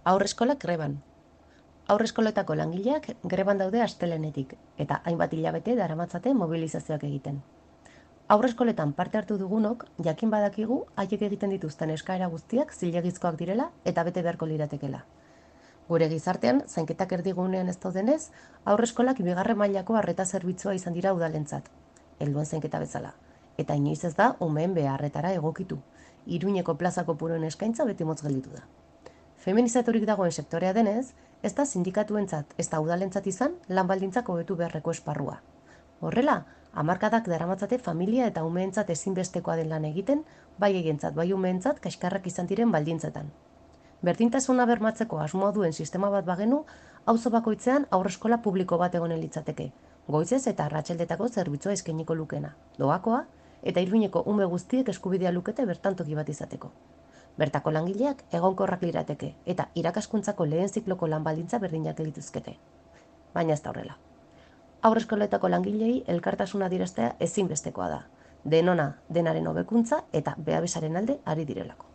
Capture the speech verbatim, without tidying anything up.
Haurreskolak greban. Haurreskoletako langileak greban daude astelehenetik eta hainbat hilabete daramatzate mobilizazioak egiten. Haurreskoletan parte hartu dugunok jakin badakigu haiek egiten dituzten eskaera guztiak zilegizkoak direla eta bete beharko liratekela. Gure gizartean, zainketak erdigunean ez daudenez, haurreskolak bigarren mailako arreta zerbitzua izan dira udalentzat, helduen zainketa bezala, eta inoiz ez da umeen beharretara egokitu. Iruñeko plaza kopuruen eskaintza beti motz gelditu da. Feminizaturik dagoen sektorea denez, ez da sindikatuentzat ez da udalentzat izan lan baldintzak hobetu beharreko esparrua. Horrela, hamarkadak daramatzate familia eta umeentzat ezinbestekoa den lan egiten, bai egientzat, bai umeentzat kaskarrak izan diren baldintzetan. Berdintasuna bermatzeko asmoa duen sistema bat bagenu, auzo bakoitzean haurreskola publiko bat egonen litzateke, goizez eta arratsaldetako zerbitzua eskainiko lukena, doakoa, eta Iruñeko ume guztiek eskubidea lukete bertan toki bat izateko. Bertako langileak egonkorrak lirateke eta irakaskuntzako lehen zikloko lan baldintza berdinak lituzkete. Baina ez da horrela. Haurreskoletako langilei elkartasuna adieraztea ezinbestekoa da. Denona denaren hobekuntza eta beabesaren alde ari direlako.